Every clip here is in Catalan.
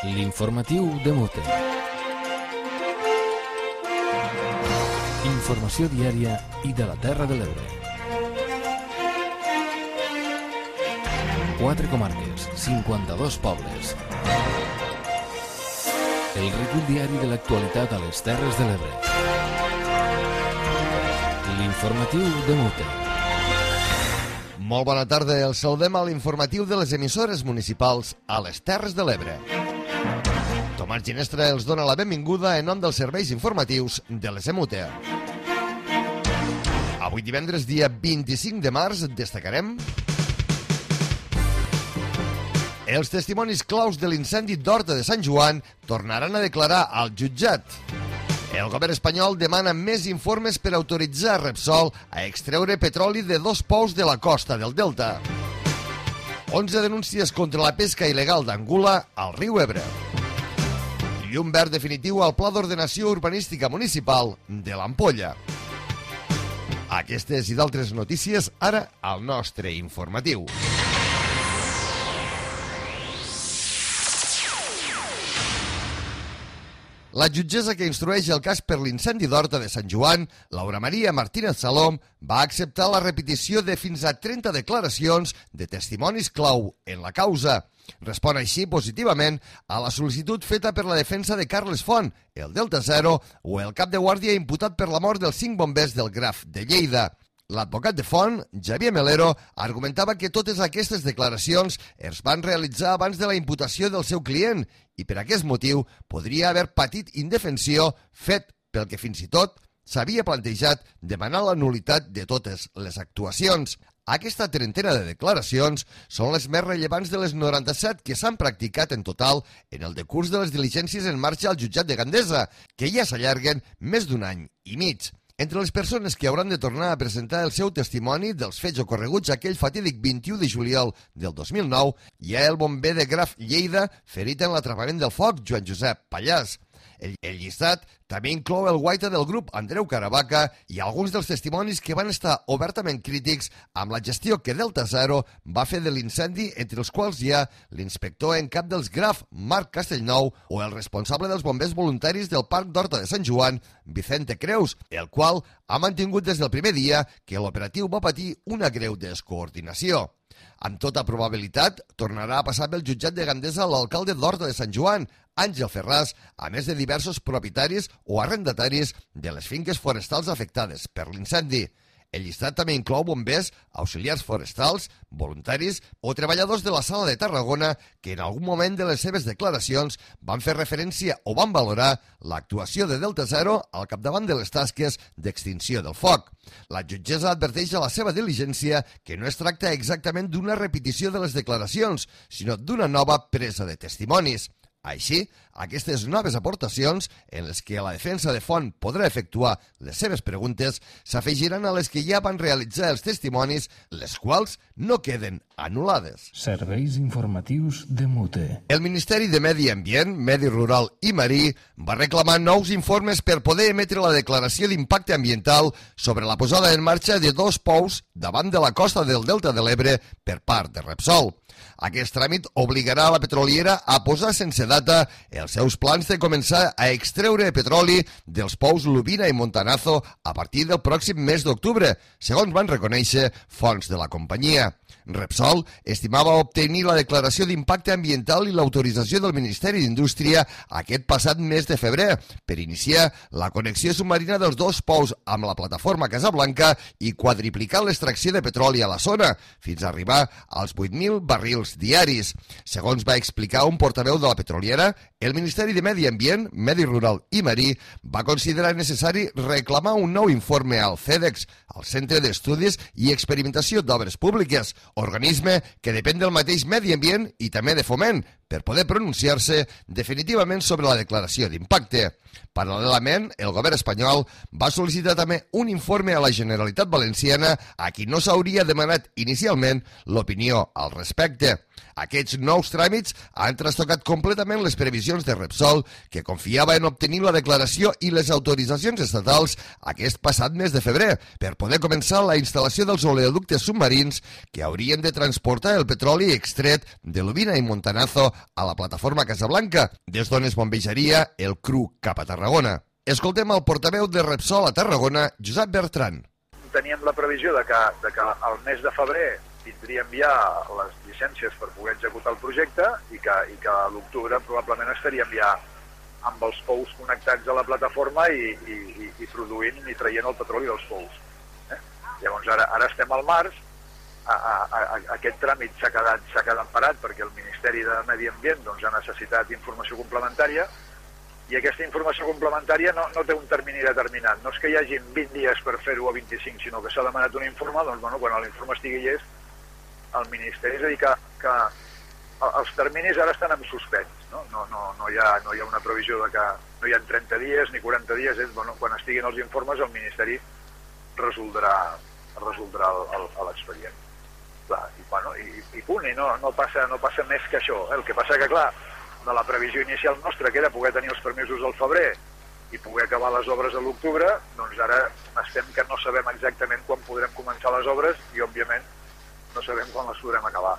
L'informatiu de Mute. Informació diària i de la Terra de l'Ebre. 4 comarques, 52 pobles. El recull diari de l'actualitat a les Terres de l'Ebre. L'informatiu de Mute. Molt bona tarda, el saludem a l'informatiu de les emissores municipals a les Terres de l'Ebre. Tomàs Ginestra els dona la benvinguda en nom dels serveis informatius de les EMUTE. Avui divendres, dia 25 de març, destacarem els testimonis claus de l'incendi d'Horta de Sant Joan tornaran a declarar al jutjat. El govern espanyol demana més informes per autoritzar Repsol a extreure petroli de 2 pous de la costa del Delta. 11 denúncies contra la pesca il·legal d'Angula al riu Ebre. Llum verd definitiu al Pla d'Ordenació Urbanística Municipal de l'Ampolla. Aquestes i d'altres notícies ara al nostre informatiu. La jutgessa que instrueix el cas per l'incendi d'Horta de Sant Joan, Laura Maria Martínez Salom, va acceptar la repetició de fins a 30 declaracions de testimonis clau en la causa. Respon així positivament a la sol·licitud feta per la defensa de Carles Font, el Delta Zero, o el cap de guàrdia imputat per la mort dels 5 bombers del Graf de Lleida. L'advocat de Font, Xavier Melero, argumentava que totes aquestes declaracions es van realitzar abans de la imputació del seu client i per aquest motiu podria haver patit indefensió, fet pel que fins i tot s'havia plantejat demanar la nul·litat de totes les actuacions. Aquesta trentena de declaracions són les més rellevants de les 97 que s'han practicat en total en el decurs de les diligències en marxa al jutjat de Gandesa, que ja s'allarguen més d'un any i mig. Entre les persones que hauran de tornar a presentar el seu testimoni dels fets ocorreguts aquell fatídic 21 de juliol del 2009 hi ha el bomber de Graf Lleida ferit en l'atrapament del foc, Joan Josep Pallàs. El llistat també inclou el guaita del grup Andreu Caravaca i alguns dels testimonis que van estar obertament crítics amb la gestió que Delta Zero va fer de l'incendi, entre els quals hi ha l'inspector en cap dels Graf, Marc Castellnou, o el responsable dels bombers voluntaris del Parc d'Horta de Sant Joan, Vicente Creus, el qual ha mantingut des del primer dia que l'operatiu va patir una greu descoordinació. Amb tota probabilitat, tornarà a passar pel jutjat de Gandesa l'alcalde d'Horta de Sant Joan, Àngel Ferràs, a més de diversos propietaris o arrendataris de les finques forestals afectades per l'incendi. El llistat també inclou bombers, auxiliars forestals, voluntaris o treballadors de la Sala de Tarragona que en algun moment de les seves declaracions van fer referència o van valorar l'actuació de Delta Zero al capdavant de les tasques d'extinció del foc. La jutgessa adverteix a la seva diligència que no es tracta exactament d'una repetició de les declaracions, sinó d'una nova presa de testimonis. Així, aquestes noves aportacions, en les que la defensa de Font podrà efectuar les seves preguntes, s'afegiran a les que ja van realitzar els testimonis, les quals no queden anul·lades. Serveis informatius de Mute. El Ministeri de Medi Ambient, Medi Rural i Marí va reclamar nous informes per poder emetre la declaració d'impacte ambiental sobre la posada en marxa de 2 pous davant de la costa del Delta de l'Ebre per part de Repsol. Aquest tràmit obligarà a la petroliera a posar sense data els seus plans de començar a extreure petroli dels pous Lubina i Montanazo a partir del pròxim mes d'octubre, segons van reconèixer fonts de la companyia. Repsol estimava obtenir la declaració d'impacte ambiental i l'autorització del Ministeri d'Indústria aquest passat mes de febrer per iniciar la connexió submarina dels 2 pous amb la plataforma Casablanca i quadriplicar l'extracció de petroli a la zona, fins a arribar als 8.000 barrils diaris. Segons va explicar un portaveu de la petroliera, el Ministeri de Medi Ambient, Medi Rural i Marí va considerar necessari reclamar un nou informe al CEDEX, el Centre d'Estudis i Experimentació d'Obres Públiques, organisme que depèn del mateix medi ambient i també de foment, per poder pronunciar-se definitivament sobre la declaració d'impacte. Paral·lelament, el govern espanyol va sol·licitar també un informe a la Generalitat Valenciana a qui no s'hauria demanat inicialment l'opinió al respecte. Aquests nous tràmits han trastocat completament les previsions de Repsol, que confiava en obtenir la declaració i les autoritzacions estatals aquest passat mes de febrer per poder començar la instal·lació dels oleoductes submarins que haurien de transportar el petroli extret de Lubina i Montanazo a la plataforma Casablanca, des d'on es bombejaria el cru cap a Tarragona. Escoltem el portaveu de Repsol a Tarragona, Josep Bertran. Teníem la previsió de que al mes de febrer tindríem ja les llicències per poder executar el projecte i que a l'octubre probablement estaríem ja amb els pous connectats a la plataforma i produint i traient el petroli dels pous. Llavors ara estem al març, aquest tràmit s'ha quedat parat perquè el Ministeri de Medi Ambient ha necessitat informació complementària i aquesta informació complementària no té un termini determinat. No és que hi hagi 20 dies per fer-ho o 25, sinó que s'ha demanat un informe, quan l'informe estigui llest, el Ministeri, és a dir, que els terminis ara estan en suspens, no hi ha una previsió de que no hi ha 30 dies ni 40 dies, quan estiguin els informes el Ministeri resoldrà l'expedient. I punt, i no passa més que això. El que passa que, clar, de la previsió inicial nostra, que era poder tenir els permisos al febrer i poder acabar les obres a l'octubre, doncs ara estem que no sabem exactament quan podrem començar les obres i, òbviament, no sabem quan les podrem acabar.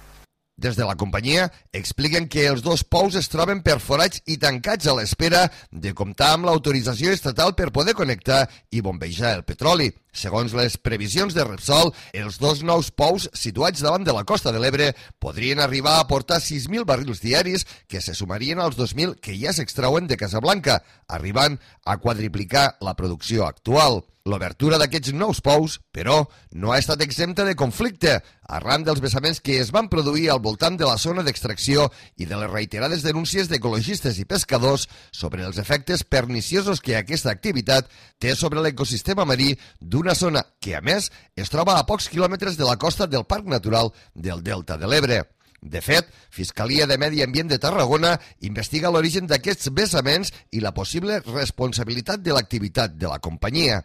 Des de la companyia expliquen que els dos pous es troben perforats i tancats a l'espera de comptar amb l'autorització estatal per poder connectar i bombejar el petroli. Segons les previsions de Repsol, els dos nous pous situats davant de la costa de l'Ebre podrien arribar a aportar 6.000 barrils diaris que se sumarien als 2.000 que ja s'extrauen de Casablanca, arribant a quadriplicar la producció actual. L'obertura d'aquests nous pous, però, no ha estat exempta de conflicte, arran dels vessaments que es van produir al voltant de la zona d'extracció i de les reiterades denúncies d'ecologistes i pescadors sobre els efectes perniciosos que aquesta activitat té sobre l'ecosistema marí d'una zona que, a més, es troba a pocs quilòmetres de la costa del Parc Natural del Delta de l'Ebre. De fet, Fiscalia de Medi Ambient de Tarragona investiga l'origen d'aquests vessaments i la possible responsabilitat de l'activitat de la companyia.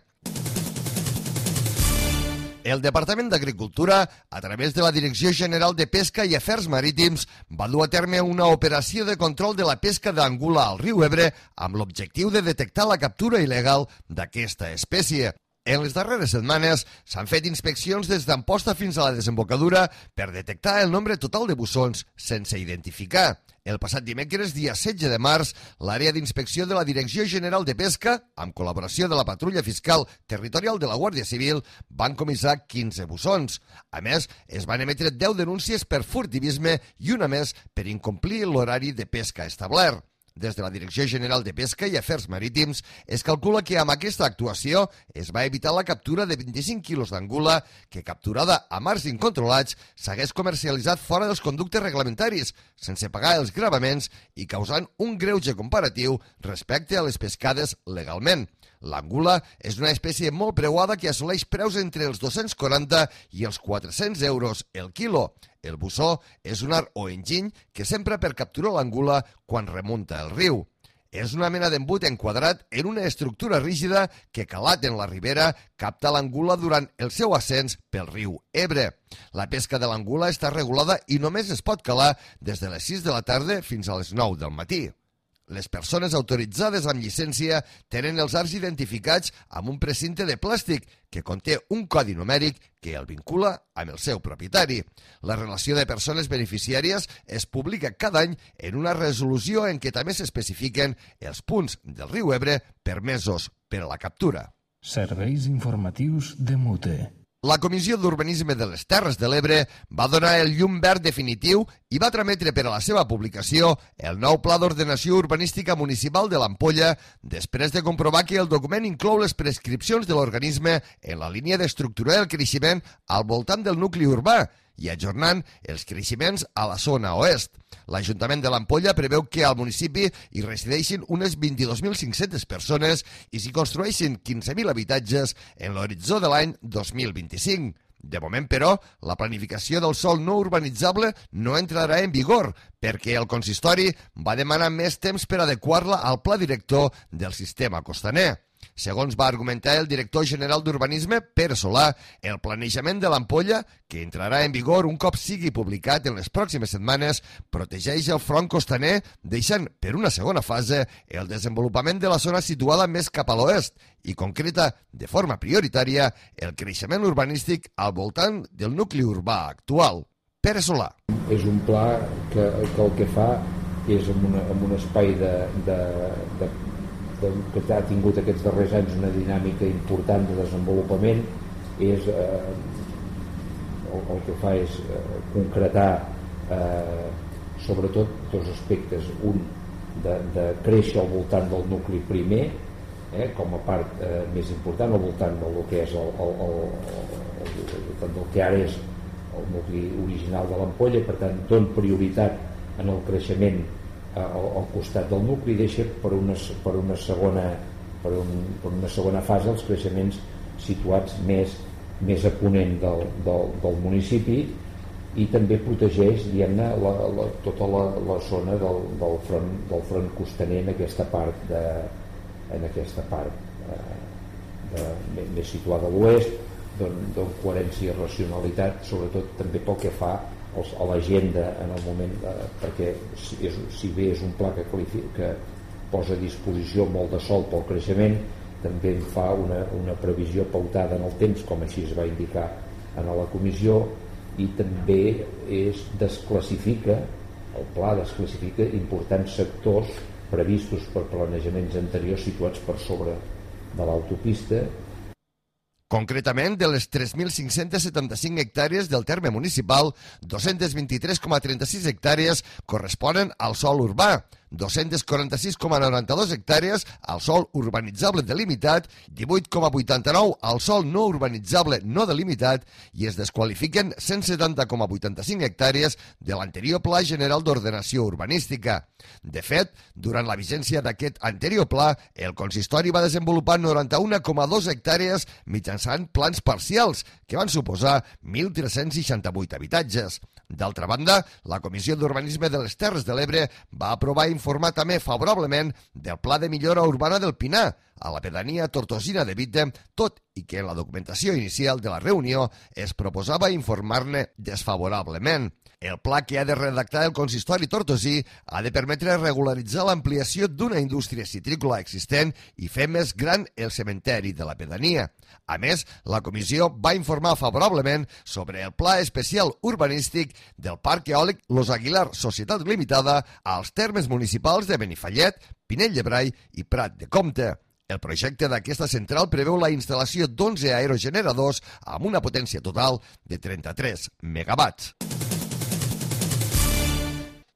El Departament d'Agricultura, a través de la Direcció General de Pesca i Afers Marítims, va dur a terme una operació de control de la pesca d'angula al riu Ebre amb l'objectiu de detectar la captura il·legal d'aquesta espècie. En les darreres setmanes s'han fet inspeccions des d'Amposta fins a la desembocadura per detectar el nombre total de bussons sense identificar. El passat dimecres, dia 16 de març, l'àrea d'inspecció de la Direcció General de Pesca, amb col·laboració de la Patrulla Fiscal Territorial de la Guàrdia Civil, van comissar 15 bussons. A més, es van emetre 10 denúncies per furtivisme i una més per incomplir l'horari de pesca establert. Des de la Direcció General de Pesca i Afers Marítims es calcula que amb aquesta actuació es va evitar la captura de 25 quilos d'angula que, capturada a mars incontrolats, s'hagués comercialitzat fora dels conductes reglamentaris, sense pagar els gravaments i causant un greuge comparatiu respecte a les pescades legalment. L'angula és una espècie molt preuada que assoleix preus entre els 240 i els 400 euros el quilo. El bussó és un art o enginy que s'empra per capturar l'angula quan remunta el riu. És una mena d'embut enquadrat en una estructura rígida que, calat en la ribera, capta l'angula durant el seu ascens pel riu Ebre. La pesca de l'angula està regulada i només es pot calar des de les 6 de la tarda fins a les 9 del matí. Les persones autoritzades amb llicència tenen els arts identificats amb un precinte de plàstic que conté un codi numèric que el vincula amb el seu propietari. La relació de persones beneficiàries es publica cada any en una resolució en què també s'especifiquen els punts del riu Ebre permesos per a la captura. Serveis informatius de Mute. La Comissió d'Urbanisme de les Terres de l'Ebre va donar el llum verd definitiu i va trametre per a la seva publicació el nou Pla d'Ordenació Urbanística Municipal de l'Ampolla després de comprovar que el document inclou les prescripcions de l'organisme en la línia d'estructurar el creixement al voltant del nucli urbà i ajornant els creixements a la zona oest. L'Ajuntament de l'Ampolla preveu que al municipi hi resideixin unes 22.500 persones i s'hi construeixin 15.000 habitatges en l'horitzó de l'any 2025. De moment, però, la planificació del sòl no urbanitzable no entrarà en vigor perquè el consistori va demanar més temps per adequar-la al pla director del sistema costaner. Segons va argumentar el director general d'Urbanisme, Pere Solà, el planejament de l'Ampolla, que entrarà en vigor un cop sigui publicat en les pròximes setmanes, protegeix el front costaner, deixant per una segona fase el desenvolupament de la zona situada més cap a l'oest i concreta de forma prioritària el creixement urbanístic al voltant del nucli urbà actual. Pere Solà. És un pla que el que fa és en un espai que ha tingut aquests darrers anys una dinàmica important de desenvolupament. El que fa és concretar sobretot dos aspectes: un de créixer al voltant del nucli primer, com a part més important, al voltant del que és del que ara és el nucli original de l'ampolla. Per tant, dona prioritat en el creixement al costat del nucli, deixa per una segona fase els creixements situats més a ponent del municipi, i també protegeix, diguem-ne, tota la zona del front costaner en aquesta part més situada a l'oest, dona coherència i racionalitat, sobretot també pel que fa a l'agenda en el moment, perquè si bé és un pla que posa a disposició molt de sòl pel creixement, també en fa una previsió pautada en el temps, com així es va indicar a la comissió, i també el pla desclassifica importants sectors previstos per planejaments anteriors situats per sobre de l'autopista. Concretament, de les 3.575 hectàrees del terme municipal, 223,36 hectàrees corresponen al sòl urbà, 246,92 hectàrees al sòl urbanitzable delimitat, 18,89 al sòl no urbanitzable no delimitat, i es desqualifiquen 170,85 hectàrees de l'anterior Pla General d'Ordenació Urbanística. De fet, durant la vigència d'aquest anterior pla, el consistori va desenvolupar 91,2 hectàrees mitjançant plans parcials, que van suposar 1.368 habitatges. D'altra banda, la Comissió d'Urbanisme de les Terres de l'Ebre va aprovar i informar també favorablement del Pla de Millora Urbana del Pinar, a la pedania tortosina de Bitte, tot i que en la documentació inicial de la reunió es proposava informar-ne desfavorablement. El pla que ha de redactar el consistori tortosí ha de permetre regularitzar l'ampliació d'una indústria citrícola existent i fer més gran el cementeri de la pedania. A més, la comissió va informar favorablement sobre el pla especial urbanístic del Parc Eòlic Los Aguilar Societat Limitada als termes municipals de Benifallet, Pinell de Brai i Prat de Comte. El projecte d'aquesta central preveu la instal·lació d'11 aerogeneradors amb una potència total de 33 megawatts.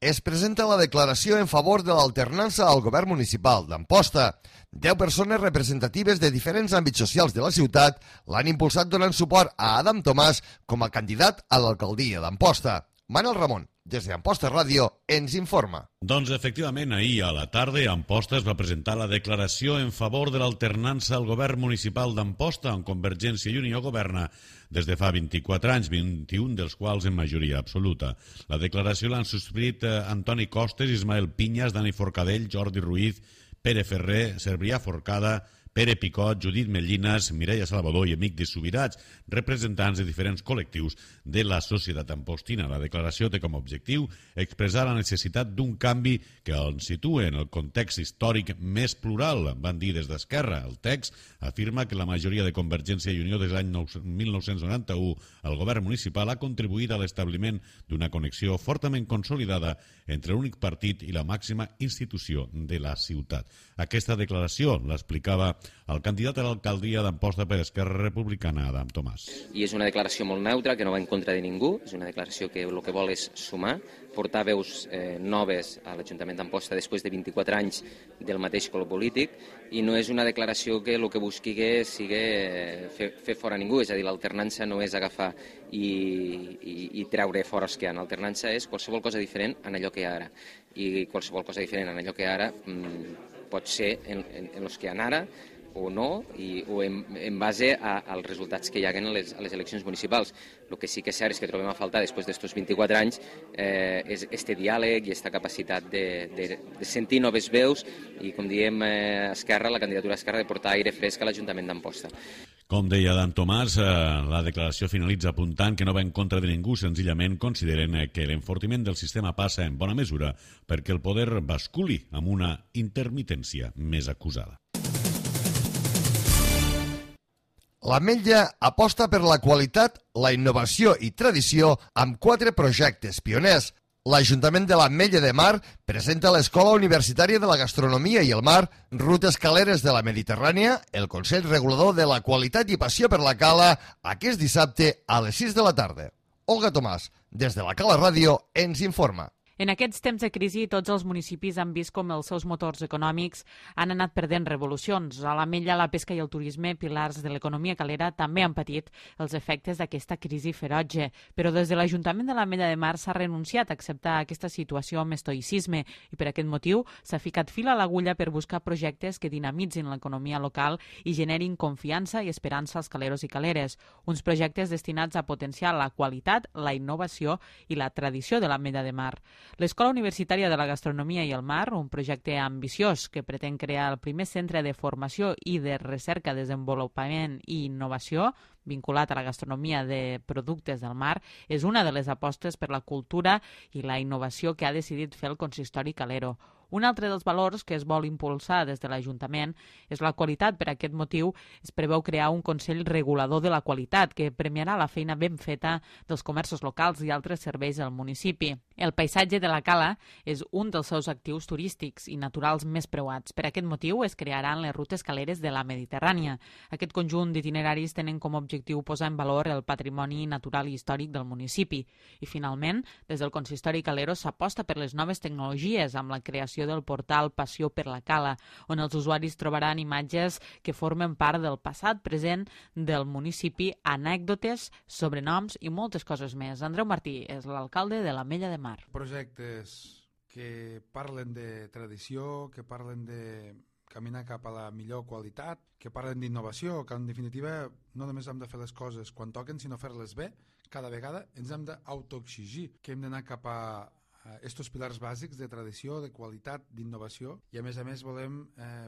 Es presenta la declaració en favor de l'alternança al govern municipal d'Amposta. 10 persones representatives de diferents àmbits socials de la ciutat l'han impulsat donant suport a Adam Tomàs com a candidat a l'alcaldia d'Amposta. Manel Ramon, des d'Amposta Ràdio, ens informa. Doncs efectivament, ahir a la tarda Amposta es va presentar la declaració en favor de l'alternança al govern municipal d'Amposta, on Convergència i Unió governa des de fa 24 anys, 21 dels quals en majoria absoluta. La declaració l'han subscrit Antoni Costes, Ismael Pinyas, Dani Forcadell, Jordi Ruiz, Pere Ferrer, Cebrià Forcada, Pere Picot, Judit Mellines, Mireia Salvador i Amic de Subirats, representants de diferents col·lectius de la societat ampostina. La declaració té com a objectiu expressar la necessitat d'un canvi que ens situa en el context històric més plural, van dir des d'Esquerra. El text afirma que la majoria de Convergència i Unió des de l'any 1991 al govern municipal ha contribuït a l'establiment d'una connexió fortament consolidada entre l'únic partit i la màxima institució de la ciutat. Aquesta declaració l'explicava el candidat a l'alcaldia d'Amposta per Esquerra Republicana, Adam Tomàs. I és una declaració molt neutra, que no va en contra de ningú, és una declaració que el que vol és sumar, portar veus noves a l'Ajuntament d'Amposta després de 24 anys del mateix color polític, i no és una declaració que el que busqui sigui fer fora ningú, és a dir, l'alternança no és agafar i treure fora els que hi ha. L'alternança és qualsevol cosa diferent en allò que hi ha ara, i qualsevol cosa diferent en allò que hi ha ara pot ser en els que hi ha ara o no, o en base als resultats que hi haguen a les eleccions municipals. El que sí que és cert és que trobem a faltar després d'estos 24 anys és este diàleg i aquesta capacitat de sentir noves veus i, com diem, Esquerra, la candidatura d'Esquerra, de portar aire fresc a l'Ajuntament d'Amposta. Com deia Dan Tomàs, la declaració finalitza apuntant que no va en contra de ningú, senzillament consideren que l'enfortiment del sistema passa en bona mesura perquè el poder basculi amb una intermitència més acusada. L'Ametlla aposta per la qualitat, la innovació i tradició amb 4 projectes pioners. L'Ajuntament de l'Ametlla de Mar presenta a l'Escola Universitària de la Gastronomia i el Mar, Rutes Caleres de la Mediterrània, el Consell Regulador de la Qualitat i Passió per la Cala, aquest dissabte a les 6 de la tarda. Olga Tomàs, des de la Cala Ràdio, ens informa. En aquests temps de crisi, tots els municipis han vist com els seus motors econòmics han anat perdent revolucions. A l'Ametlla, la pesca i el turisme, pilars de l'economia calera, també han patit els efectes d'aquesta crisi ferotge. Però des de l'Ajuntament de l'Ametlla de Mar s'ha renunciat a acceptar aquesta situació amb estoïcisme i per aquest motiu s'ha ficat fil a l'agulla per buscar projectes que dinamitzin l'economia local i generin confiança i esperança als caleros i caleres. Uns projectes destinats a potenciar la qualitat, la innovació i la tradició de l'Ametlla de Mar. L'Escola Universitària de la Gastronomia i el Mar, un projecte ambiciós que pretén crear el primer centre de formació i de recerca, desenvolupament i innovació vinculat a la gastronomia de productes del mar, és una de les apostes per la cultura i la innovació que ha decidit fer el consistori calero. Un altre dels valors que es vol impulsar des de l'Ajuntament és la qualitat. Per aquest motiu es preveu crear un Consell Regulador de la Qualitat que premiarà la feina ben feta dels comerços locals i altres serveis al municipi. El paisatge de la cala és un dels seus actius turístics i naturals més preuats. Per aquest motiu es crearan les rutes caleres de la Mediterrània. Aquest conjunt d'itineraris tenen com a objectiu posar en valor el patrimoni natural i històric del municipi. I finalment, des del consistori calero s'aposta per les noves tecnologies amb la creació del portal Passió per la Cala, on els usuaris trobaran imatges que formen part del passat present del municipi, anècdotes, sobrenoms i moltes coses més. Andreu Martí és l'alcalde de l'Ametlla de Mar. Projectes que parlen de tradició, que parlen de caminar cap a la millor qualitat, que parlen d'innovació, que en definitiva no només hem de fer les coses quan toquen, sinó fer-les bé. Cada vegada ens hem d'autoexigir que hem d'anar cap a estos pilars bàsics de tradició, de qualitat, d'innovació, i a més volem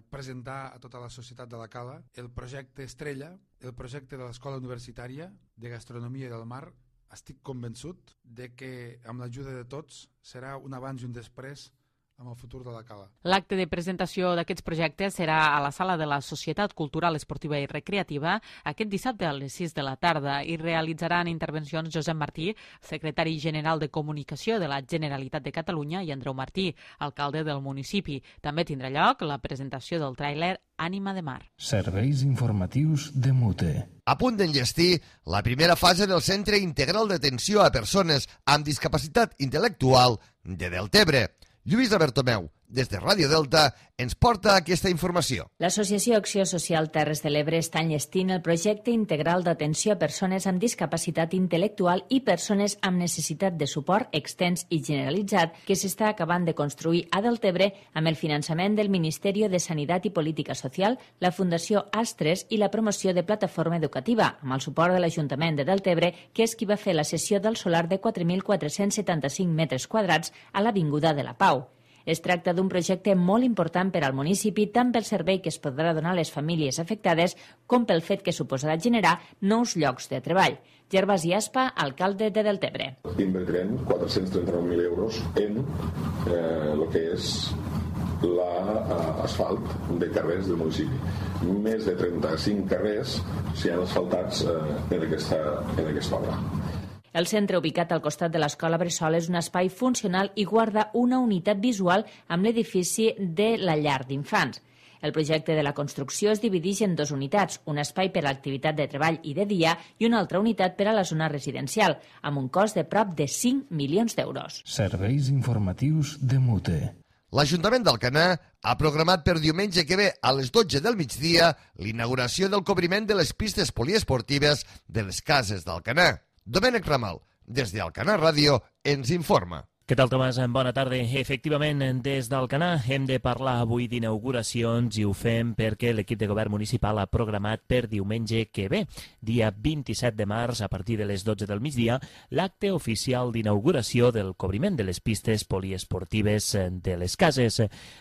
presentar a tota la societat de la Cala el projecte Estrella, el projecte de l'Escola Universitària de Gastronomia del Mar. Estic convençut de que amb l'ajuda de tots serà un abans i un després amb el futur de la Cala. L'acte de presentació d'aquests projectes serà a la sala de la Societat Cultural, Esportiva i Recreativa aquest dissabte a les 6 de la tarda i realitzaran intervencions Josep Martí, secretari general de Comunicació de la Generalitat de Catalunya, i Andreu Martí, alcalde del municipi. També tindrà lloc la presentació del tràiler Ànima de Mar. Serveis informatius de Mute. A punt d'enllestir la primera fase del Centre Integral d'Atenció a Persones amb Discapacitat Intel·lectual de Deltebre. Lluïsa Bertomeu, des de Ràdio Delta, ens porta aquesta informació. L'Associació Acció Social Terres de l'Ebre està enllestint el projecte integral d'atenció a persones amb discapacitat intel·lectual i persones amb necessitat de suport extens i generalitzat que s'està acabant de construir a Deltebre amb el finançament del Ministeri de Sanitat i Política Social, la Fundació Astres i la promoció de Plataforma Educativa, amb el suport de l'Ajuntament de Deltebre, que és qui va fer la cessió del solar de 4.475 metres quadrats a l'Avinguda de la Pau. Es tracta d'un projecte molt important per al municipi, tant pel servei que es podrà donar a les famílies afectades com pel fet que suposarà generar nous llocs de treball. Gervasi Aspa, alcalde de Deltebre. Invertirem 439.000 euros en el que és l'asfalt de carrers del municipi. Més de 35 carrers s'han asfaltats en aquesta obra. El centre, ubicat al costat de l'escola Bressol, és un espai funcional i guarda una unitat visual amb l'edifici de la llar d'infants. El projecte de la construcció es divideix en dues unitats, un espai per a l'activitat de treball i de dia i una altra unitat per a la zona residencial, amb un cost de prop de 5 milions d'euros. Serveis informatius de Mute. L'Ajuntament d'Alcanar ha programat per diumenge que ve a les 12 del migdia l'inauguració del cobriment de les pistes poliesportives de les cases d'Alcanar. Domènec Ramal, des d'Alcanar Ràdio, ens informa. Què tal, Tomàs? Bona tarda. Efectivament, des d'Alcanar hem de parlar avui d'inauguracions i ho fem perquè l'equip de govern municipal ha programat per diumenge que ve, dia 27 de març, a partir de les 12 del migdia, l'acte oficial d'inauguració del cobriment de les pistes poliesportives de les cases.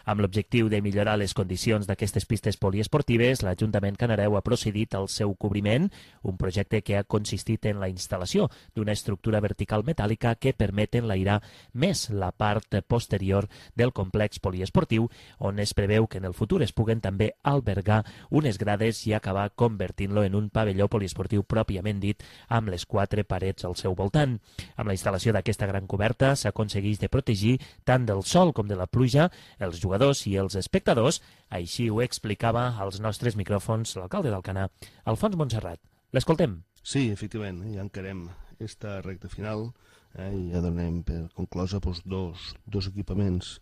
Amb l'objectiu de millorar les condicions d'aquestes pistes poliesportives, l'Ajuntament Canareu ha procedit al seu cobriment, un projecte que ha consistit en la instal·lació d'una estructura vertical metàl·lica que permet enlairar més la part posterior del complex poliesportiu, on es preveu que en el futur es puguen també albergar unes grades i acabar convertint-lo en un pavelló poliesportiu pròpiament dit, amb les 4 parets al seu voltant. Amb la instal·lació d'aquesta gran coberta s'aconsegueix de protegir tant del sol com de la pluja els jugadors i els espectadors, així ho explicava als nostres micròfons l'alcalde d'Alcanar, Alfons Montserrat. L'escoltem. Sí, efectivament, ja encarem esta recta final i ja donem per conclosa dos equipaments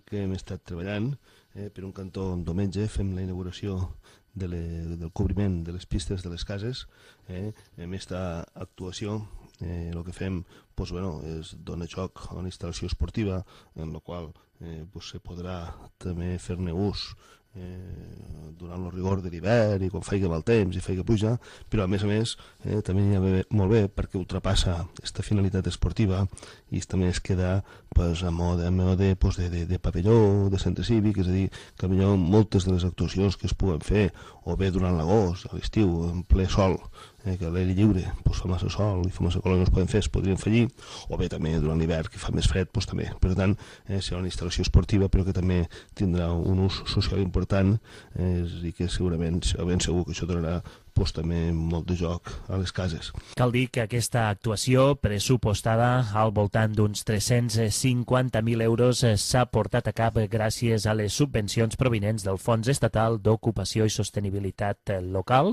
que hem estat treballant. Per un cantó, diumenge, fem la inauguració del cobriment de les pistes de les cases. Amb aquesta actuació el que fem és donar joc a una instal·lació esportiva en la qual se podrà també fer-ne ús durant el rigor de l'hivern i quan faci mal temps i faci pluja, però a més també hi ha molt bé perquè ultrapassa aquesta finalitat esportiva i també es queda a mode de pavelló, de centre cívic, és a dir, que millor moltes de les actuacions que es puguen fer o bé durant l'agost, a l'estiu, en ple sol, que a l'aire lliure fa massa sol i fa massa calor, no es poden fer, es podrien fer allí, o bé també durant l'hivern que fa més fred, també. Per tant, serà una instal·lació esportiva però que també tindrà un ús social important i que segurament, ben segur que això donarà també molt de joc a les cases. Cal dir que aquesta actuació, pressupostada al voltant d'uns 350.000 euros, s'ha portat a cap gràcies a les subvencions provinents del Fons Estatal d'Ocupació i Sostenibilitat Local,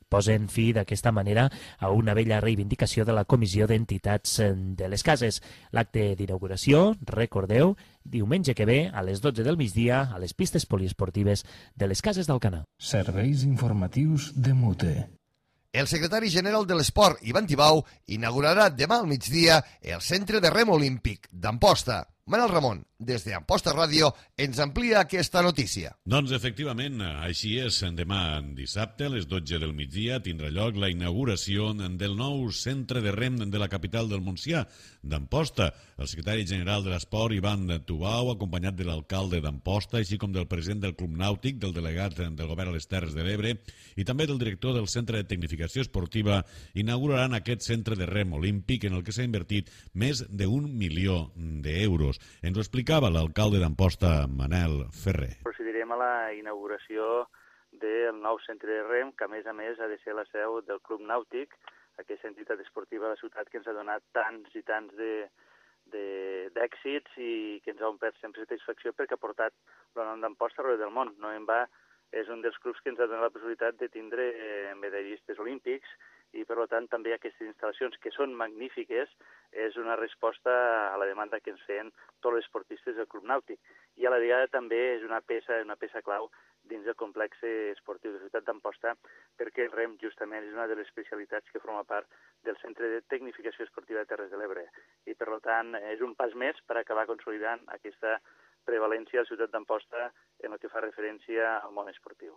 posen fi d'aquesta manera a una vella reivindicació de la Comissió d'Entitats de les Cases. L'acte d'inauguració, recordeu, diumenge que ve a les 12 del migdia a les pistes poliesportives de les Cases d'Alcanar. Serveis informatius de Mute. El secretari general de l'Esport, Ivan Tibau, inaugurarà demà al migdia el Centre de Rem Olímpic d'Amposta. Manel Ramon, des d'Amposta Ràdio, ens amplia aquesta notícia. Doncs efectivament, així és. Demà dissabte, a les 12 del migdia, tindrà lloc la inauguració del nou centre de rem de la capital del Montsià, d'Amposta. El secretari general de l'Esport, Ivan Tibau, acompanyat de l'alcalde d'Amposta, així com del president del Club Nàutic, del delegat del govern a les Terres de l'Ebre i també del director del Centre de Tecnificació Esportiva, inauguraran aquest centre de rem olímpic en el que s'ha invertit més d'1 milió d'euros. Ens ho explicava l'alcalde d'Amposta, Manel Ferrer. Procedirem a la inauguració del nou centre de rem, que a més ha de ser la seu del Club Nàutic, aquesta entitat esportiva de la ciutat que ens ha donat tants i tants d'èxits i que ens ha omplert sempre satisfacció perquè ha portat el nom d'Amposta arreu del món. No en va, és un dels clubs que ens ha donat la possibilitat de tindre medallistes olímpics i, per tant, també aquestes instal·lacions, que són magnífiques, és una resposta a la demanda que ens feien tots els esportistes del Club Nàutic. I a la vegada també és una peça clau dins del complex esportiu de la ciutat d'Amposta, perquè el rem justament és una de les especialitats que forma part del Centre de Tecnificació Esportiva de Terres de l'Ebre. I, per tant, és un pas més per acabar consolidant aquesta prevalència a la ciutat d'Amposta en el que fa referència al món esportiu.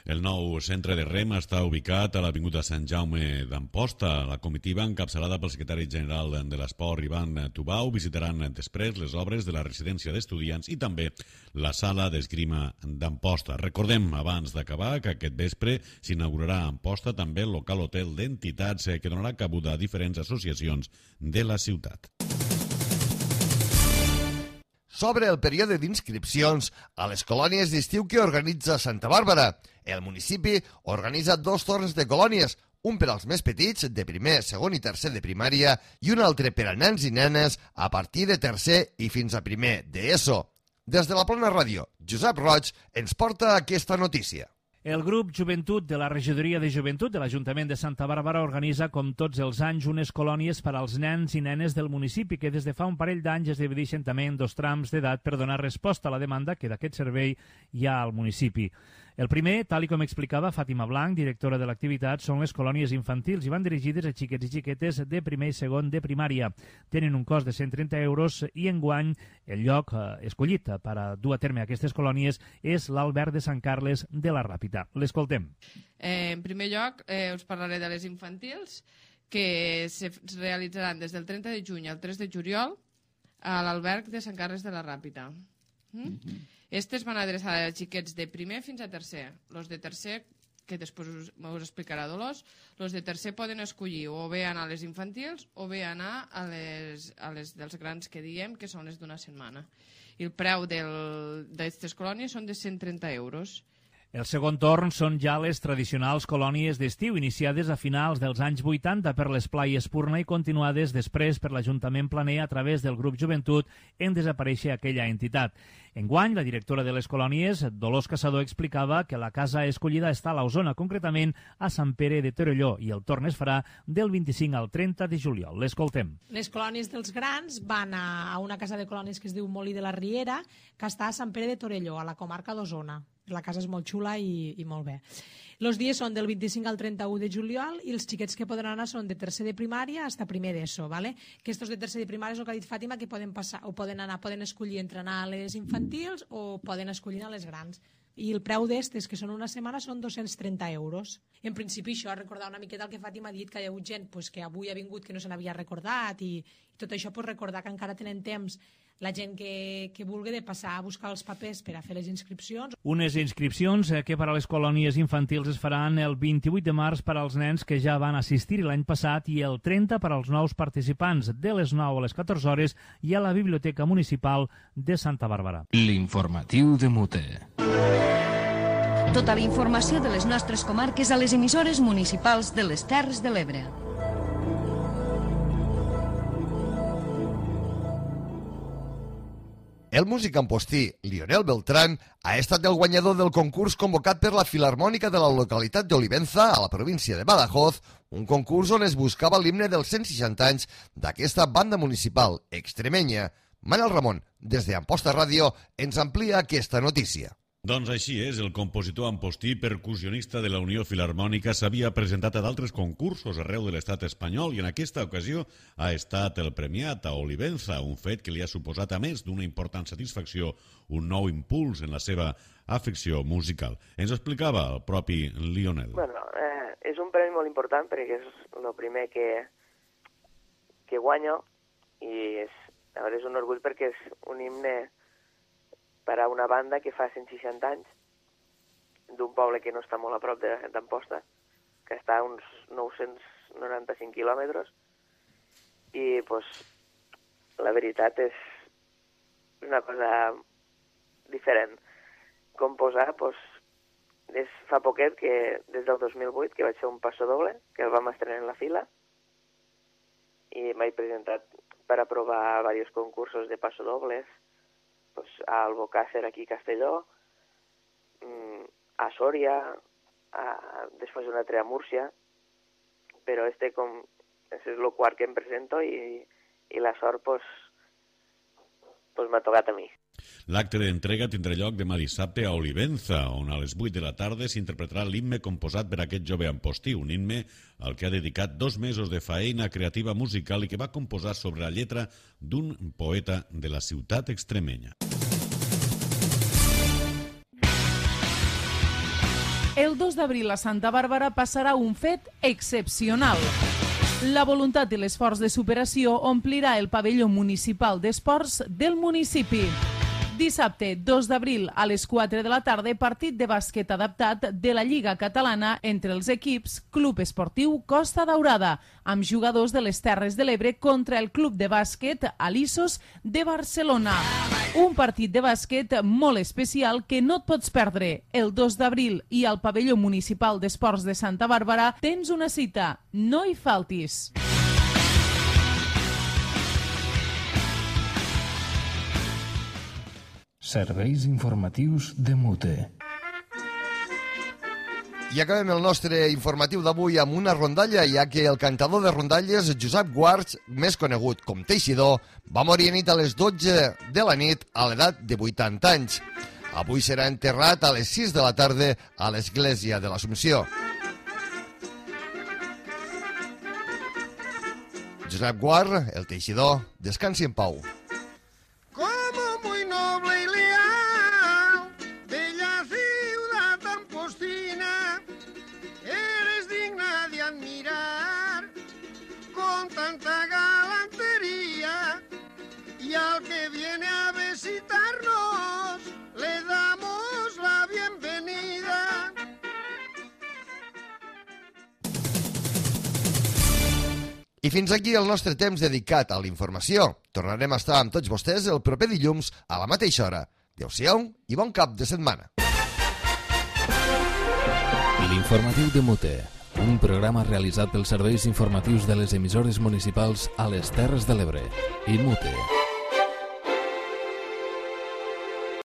El nou centre de rem està ubicat a l'Avinguda Sant Jaume d'Amposta. La comitiva, encapçalada pel secretari general de l'Esport, Ivan Tibau, visitaran després les obres de la residència d'estudiants i també la sala d'esgrima d'Amposta. Recordem, abans d'acabar, que aquest vespre s'inaugurarà a Amposta també el local hotel d'entitats que donarà cabuda a diferents associacions de la ciutat. S'obre el període d'inscripcions a les colònies d'estiu que organitza Santa Bàrbara. El municipi organitza 2 torns de colònies, un per als més petits, de primer, segon i tercer de primària, i un altre per a nens i nenes a partir de tercer i fins a primer d'ESO. Des de la Plana Ràdio, Josep Roig ens porta aquesta notícia. El grup Joventut de la Regidoria de Joventut de l'Ajuntament de Santa Bàrbara organitza, com tots els anys, unes colònies per als nens i nenes del municipi que des de fa un parell d'anys es divideixen també en 2 trams d'edat per donar resposta a la demanda que d'aquest servei hi ha al municipi. El primer, tal com explicava Fàtima Blanc, directora de l'activitat, són les colònies infantils i van dirigides a xiquets i xiquetes de primer i segon de primària. Tenen un cost de 130 euros i enguany el lloc escollit per a dur a terme aquestes colònies és l'Alberg de Sant Carles de la Ràpita. L'escoltem. En primer lloc, us parlaré de les infantils, que se realitzaran des del 30 de juny al 3 de juliol a l'Alberg de Sant Carles de la Ràpita. Estes van adreçar a xiquets de primer fins a tercer. Els de tercer que després us explicarà Dolors, els de tercer poden escollir o bé anar a les infantils o bé anar a les dels grans que diem, que són les d'una setmana. I el preu d'aquestes colònies són de 130 euros. El segon torn són ja les tradicionals colònies d'estiu, iniciades a finals dels anys 80 per l'Esplai Espurna i continuades després per l'Ajuntament Planer a través del grup Joventut en desaparèixer aquella entitat. Enguany, la directora de les colònies, Dolors Caçador, explicava que la casa escollida està a l'Osona, concretament a Sant Pere de Torelló, i el torn es farà del 25 al 30 de juliol. L'escoltem. Les colònies dels grans van a una casa de colònies que es diu Molí de la Riera, que està a Sant Pere de Torelló, a la comarca d'Osona. La casa és molt xula i molt bé. Els dies són del 25 al 31 de juliol i els xiquets que poden anar són de tercer de primària fins a primer d'ESO. ¿vale? Que estos de tercer de primària és el que ha dit Fàtima, que poden passar o poden escollir entre anar a les infantils o poden escollir a les grans. I el preu d'estes, que són una setmana, són 230 euros. En principi, això, recordar una miqueta el que Fàtima ha dit, que hi ha hagut gent que avui ha vingut que no se n'havia recordat i tot això, recordar que encara tenen temps la gent que vulgui de passar a buscar els papers per a fer les inscripcions. Unes inscripcions que per a les colònies infantils es faran el 28 de març per als nens que ja van assistir l'any passat i el 30 per als nous participants de les 9 a les 14 hores i a la Biblioteca Municipal de Santa Bàrbara. L'informatiu de Mute. Tota la informació de les nostres comarques a les emissores municipals de les Terres de l'Ebre. El músic ampostí Lionel Beltrán ha estat el guanyador del concurs convocat per la Filarmònica de la localitat d'Olivenza, a la província de Badajoz, un concurs on es buscava l'himne dels 160 anys d'aquesta banda municipal extremenya. Manel Ramon, des d'Amposta Ràdio, ens amplia aquesta notícia. Doncs així és, el compositor ampostí percussionista de la Unió Filarmònica s'havia presentat a d'altres concursos arreu de l'estat espanyol i en aquesta ocasió ha estat el premiat a Olivenza, un fet que li ha suposat, a més d'una important satisfacció, un nou impuls en la seva afecció musical. Ens explicava el propi Lionel. Bueno, és un premi molt important perquè és el primer que guanyo i és un orgull perquè és un himne per a una banda que fa 160 anys d'un poble que no està molt a prop d'Amposta, que està a uns 995 quilòmetres, i pues, la veritat és una cosa diferent. Composar, pues, fa poquet, que des del 2008, que vaig fer un passo doble, que el vam estrenar en la fila, i m'he presentat per a provar diversos concursos de passo dobles, pues, a Albocàsser, aquí a Castelló, a Sòria, després un altre a Múrcia, però és el quart que em presento i la sort pues, m'ha tocat a mi. L'acte d'entrega tindrà lloc demà dissabte a Olivenza, on a les 8 de la tarda s'interpretarà l'himne composat per aquest jove ampostí, un himne al que ha dedicat 2 mesos de faena creativa musical i que va composar sobre la lletra d'un poeta de la ciutat extremenya. El 2 d'abril a Santa Bàrbara passarà un fet excepcional. La voluntat i l'esforç de superació omplirà el pavelló municipal d'esports del municipi. Dissabte, 2 d'abril, a les 4 de la tarda, partit de bàsquet adaptat de la Lliga Catalana entre els equips Club Esportiu Costa Daurada, amb jugadors de les Terres de l'Ebre contra el Club de Bàsquet Alisos de Barcelona. Un partit de bàsquet molt especial que no et pots perdre. El 2 d'abril i al pavelló municipal d'esports de Santa Bàrbara tens una cita. No hi faltis. Serveis informatius de Mute. I acabem el nostre informatiu d'avui amb una rondalla, ja que el cantador de rondalles, Josep Guards, més conegut com Teixidor, va morir a nit a les 12 de la nit a l'edat de 80 anys. Avui serà enterrat a les 6 de la tarda a l'església de l'Assumpció. Josep Guard, el Teixidor, descansi en pau. I fins aquí el nostre temps dedicat a la informació. Tornarem a estar amb tots vostès el proper dilluns a la mateixa hora. Adéu-siau i bon cap de setmana. L'informatiu de Mute, un programa realitzat pels serveis informatius de les emissores municipals a les Terres de l'Ebre i Mute.